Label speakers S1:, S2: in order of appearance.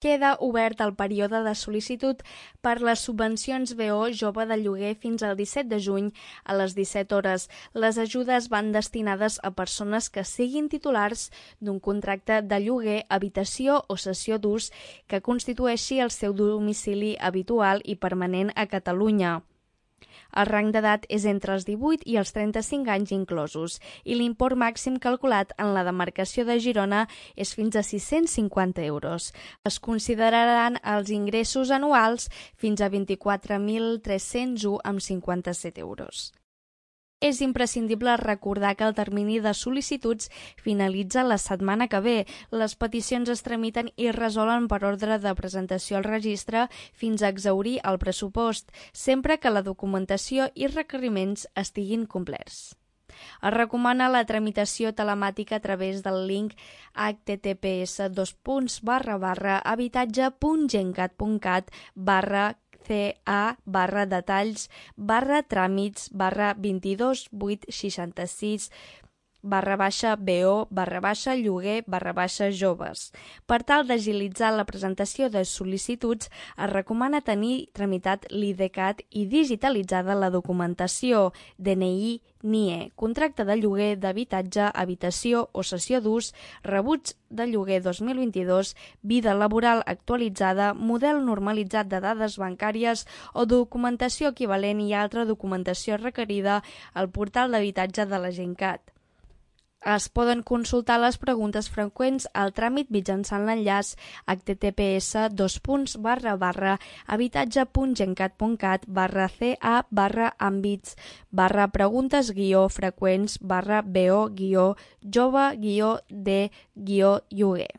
S1: Queda obert el període de sol·licitud per les subvencions BO Jove de Lloguer fins al 17 de juny a les 17 hores. Les ajudes van destinades a persones que siguin titulars d'un contracte de lloguer, habitació o cessió d'ús que constitueixi el seu domicili habitual i permanent a Catalunya. El rang d'edat és entre els 18 i els 35 anys inclosos i l'import màxim calculat en la demarcació de Girona és fins a 650 euros. Es consideraran els ingressos anuals fins a 24.301,57 euros. És imprescindible recordar que el termini de sol·licituds finalitza la setmana que ve. Les peticions es tramiten i resolen per ordre de presentació al registre fins a exhaurir el pressupost, sempre que la documentació i requeriments estiguin complerts. Es recomana la tramitació telemàtica a través del link https://habitatge.cat/detalls/tràmits/2286-BO/lloguer/joves. Per tal d'agilitzar la presentació de sol·licituds, es recomana tenir tramitat l'IDCAT i digitalitzada la documentació, DNI, NIE, contracte de lloguer d'habitatge, habitació o cessió d'ús, rebuig de lloguer 2022, vida laboral actualitzada, model normalitzat de dades bancàries o documentació equivalent i altra documentació requerida al portal d'habitatge de la Gencat. Es poden consultar les preguntes freqüents al tràmit mitjançant l'enllaç https://habitatge.gencat.cat/ca/àmbits/preguntes-freqüents/bo-jove-d-lloguer.